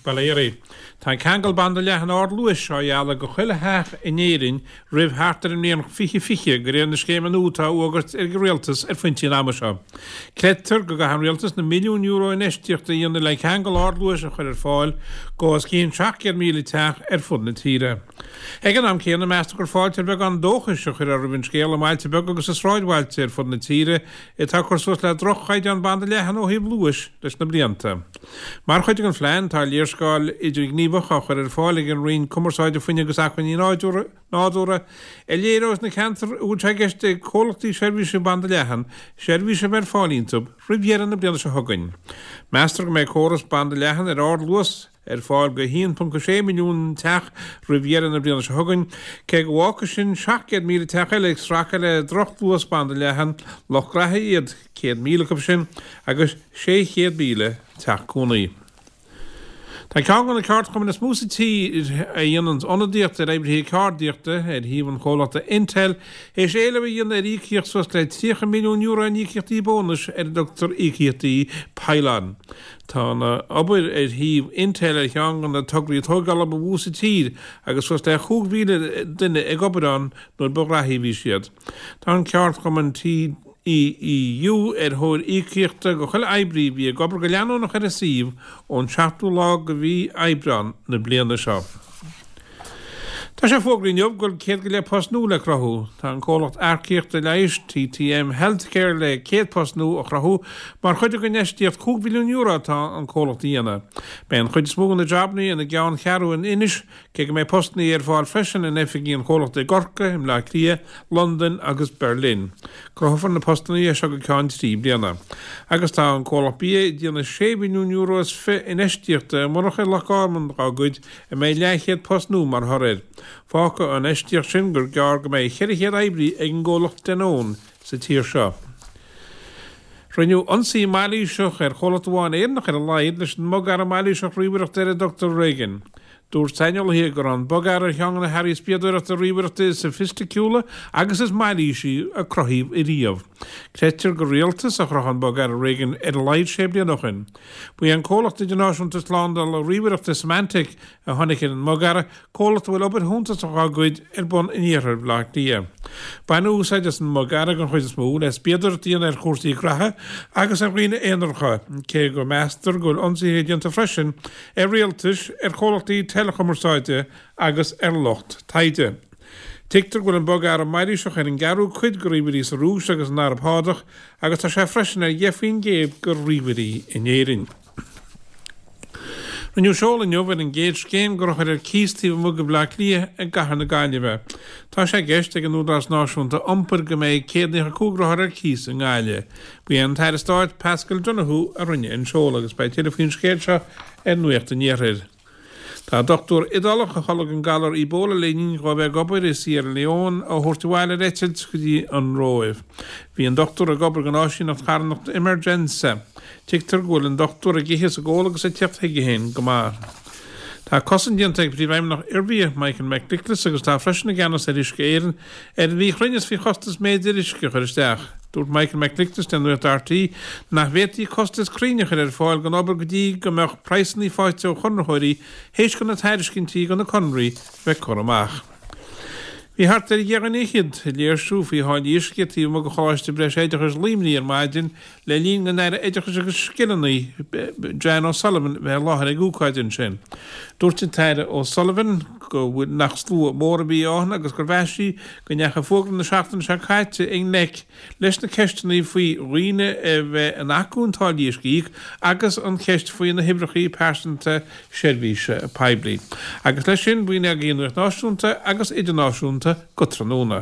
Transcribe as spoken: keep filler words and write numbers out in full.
Bail ó Dhia oraibh. Tá ceangal banda leathan ardluais á ghealladh go chuile theach in Éirinn roimh thart ar an mbliain fiche fiche de réir na scéime nua atá á fhógairt ag an rialtas ar phointí an ama seo. Creidtear go gcaithfidh an rialtas na milliúin euro infheistíochta a dhéanamh le ceangal ardluais a chur ar fáil go os cionn seacht gcéad míle teach ar fud na tíre. Ag an am céanna meastar gur fáilte ar bheagán dóchais a chuirfear roimh an scéal i mbailte beaga agus i sráidbhailte ar fud na tíre atá ag cur suas le droch-chaighdeán banda leathan ó thaobh luais leis na blianta. Mar chuid den phlean tá léarscáil idirghníomhach á chur ar fáil ag an Roinn Cumarsáide Fuinnimh agus Acmhainní Nádúrtha a léireos na ceantair a bhfuil sé i gceist ag comhlachtaí seirbhíse banda leathan seirbhís a bheith ar fáil iontu roimh dheireadh na bliana seo chugainn. Meastar go mbeidh córas banda leathan ar ardluas ar fáil go haon ponc sé milliún teach roimh dheireadh na bliana seo chugainn, cé go bhfágfaidh sin seacht gcéad míle teach eile ag streachailt le drochluas banda leathan, lucht graithe iad céad míle acu sin agus sé chéad míle teach cónaí. Tá ceann de na ceardchumainn is mó sa tír a dhéanann ionadaíocht ar oibrithe ceardaíochta ar thaobh an chomhlachta Intel théis éileamh a dhéanamh ar íocaíocht suas le tríocha milliún euro in íocaíochtaí bónais ar a dtugtar íocaíochtaí pile-on. Tá an obair ar thaobh Intel ar cheann de na tograí tógála ba mhó sa tír agus suas le chúig mhíle duine ag obair ann nuair ba ghraithí a bhí siad. Tá an ceardchumann TEEU ar thóir íocaíochta go chuile oibrí a bhí ag obair go leanúnach ar an suíomh ón seachtú lá de mhí Aibreán na bliana seo. Tá sé fógraithe inniu go bhfuil céad go leith post nua le cruthú. Tá an comhlacht earcaíochta leighis TTM Healthcare le céad post nua a chruthú mar chuid den infheistíocht cúig mhilliún euro atá an comhlacht a dhéanamh. Beidh an chuid is mó de na jabanna ina gceanncheathrú in Inis, cé go mbeidh postanna ar fáil freisin in oifigí an chomhlachta i gCorcaigh, i mBleá Cliath, Londain agus Berlin. Cruthófar na postanna seo go ceann trí bliana. Agus tá an comhlacht bia ag déanamh sé mhilliún euro is fiche infheistíochta i monarcha i Loch Garman dá gcuid a mbeidh leathchéad post nua mar thoradh air. Fágfaidh an infheistíocht sin gur gearr go mbeidh ceithre chéad oibrí ag an gcomhlacht Danone sa tír seo. Rinneadh ionsaí mailíseach ar chomhlacht amháin Éireannach ar a laghad leis an mbogearra mailíseach ríomhaireachta ar a dtugtar Regin. Dúirt saineolaithe go raibh an bogearra ar cheann de na hearraí spiadóireachta ríomhaireachta is soifisticiúla agus is mailísí a cruthaíodh ariamh. Creidtear gur rialtas a chruthaigh an bogearra Regin ar a laghad sé bliana ó shin. Ba é an comhlacht idirnáisiúnta slándála ríomhaireachta Symantec a tháinig ar an mbogearra, comhlacht a bhfuil obair shuntasach á gcuid ar bun in iarthar Bhaile Átha Cliath. Baineadh úsáid as an mbogearra den chuid is mó le spiadóireacht a dhéanamh ar chúrsaí graithe agus ar dhaoine aonaracha, cé go meastar go bhfuil ionsaithe déanta freisin ar rialtais, ar chomhlachtaí teileachumarsáide agus ar lucht taighde. Tuigtear go bhfuil an bogearra mailíseach ar an gceathrú cuid de ríomhairí sa Rúis agus san Araib Shádach agus tá sé freisin ar dheich faoin gcéad de ríomhairí in Éirinn. Rinneadh seoladh inniu ar an gcéad scéim de rothair ar cíos taobh amuigh de Bhaile Átha Cliath i gcathair na Gaillimhe. Tá sé i gceist ag an Údarás Náisiúnta Iompair go mbeidh céad nócha cúig rothar ar cíos i nGaillimh. Ba é an tAire Stáit Paschal Donohoe a rinne an seoladh agus beidh tuilleadh faoin scéal seo ar Nuacht an Iarthair. Tá dochtúir Iodálach a tholg an galar Ebola le linn dó bheith ag obair i Sierra Leone á thabhairt abhaile ar eitilt go dtí an Róimh. Bhí an dochtúir ag obair don áisíneacht charthanachta Emergenza. Tuigtear go bhfuil an dochtúir ag ithe is ag ól agus ag teacht chuige féin go maith. Tá cosaint déanta ag Príomhfheidhmeannach Ervia, Michael McNicholas, agus atá freisin i gceannas ar Uisce Éireann, ar an mhíchruinneas faoi chostas méadair uisce a chur isteach. Dúirt Michael McNicholas le Nuacht RTÉ nach bhféadfaí costas cruinn a chur ar fáil don obair go dtí go mbeadh praghsanna faighte ó chonraitheoirí théis do na tairiscintí do na conraí bheith curtha amach. Bhí thart ar dheich nduine fhichead ag léirsiú faoi tháillí uisce taobh amuigh de Choláiste Breisoideachais Luimnigh ar maidin le linn don Aire Oideachais agus Scileanna, Jan O'Sullivan, bheith i láthair ag ócáid ansin. Dúirt an tAire O'Sullivan go bhfuil nach slua mór a bhí ann agus gur mheas sí go ndeachaigh fógra na seachtaine seo caite i ngleic leis na ceisteanna faoi dhaoine a bheith in acmhainn táillí uisce a íoc agus an cheist faoi na huimhreacha pearsanta seirbhíse poiblí. Agus leis sin, b'in agaibh an nuacht náisiúnta agus idirnáisiúnta go tráthnóna.